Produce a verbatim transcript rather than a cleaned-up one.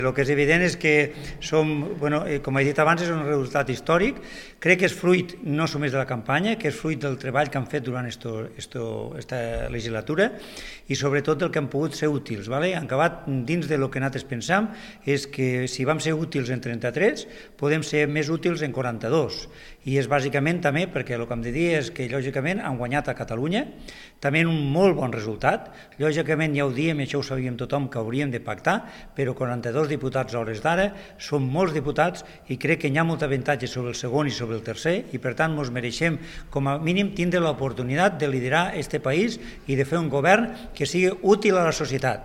El que és evident és que som, bueno, com he dit abans, és un resultat històric. Crec que és fruit no només de la campanya, que és fruit del treball que han fet durant aquesta legislatura i sobretot del que han pogut ser útils. Vale? Han acabat dins del que nosaltres pensam, és que si vam ser útils en trenta-tres, podem ser més útils en quaranta-dos. I és bàsicament també perquè el que hem de dir és que lògicament han guanyat a Catalunya, també un molt bon resultat. Lògicament ja ho diem, i això ho sabíem tothom, que hauríem de pactar, però quaranta-dos diputats a hores d'ara són molts diputats i crec que hi ha molt avantatge sobre el segon i sobre el tercer i per tant ens mereixem com a mínim tindre l'oportunitat de liderar este país i de fer un govern que sigui útil a la societat.